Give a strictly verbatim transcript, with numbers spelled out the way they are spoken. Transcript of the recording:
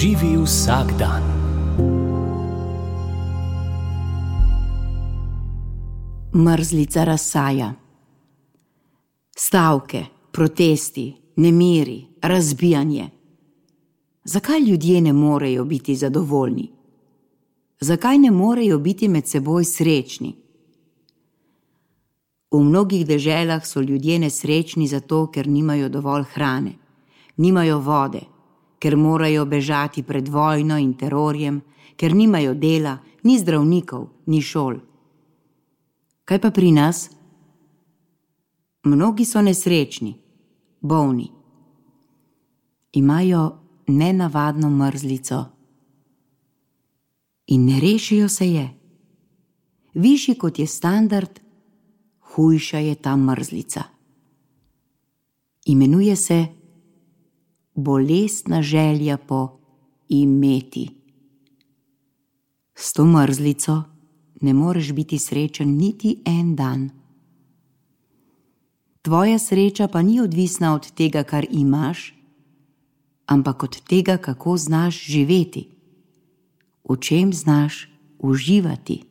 Živi vsak dan. Mrzlica razsaja. Stavke, protesti, nemiri, razbijanje. Zakaj ljudje ne morejo biti zadovoljni? Zakaj ne morejo biti med seboj srečni? V mnogih deželah so ljudje nesrečni zato, ker nimajo dovolj hrane, nimajo vode, ker morajo bežati pred vojno in terorjem, ker nimajo dela, ni zdravnikov, ni šol. Kaj pa pri nas? Mnogi so nesrečni, bolni. Imajo nenavadno mrzlico in ne rešijo se je. Višji kot je standard, hujša je ta mrzlica. Imenuje se bolestna želja po imeti. S to mrzlico ne moreš biti srečen niti en dan. Tvoja sreča pa ni odvisna od tega, kar imaš, ampak od tega, kako znaš živeti, v čem znaš uživati.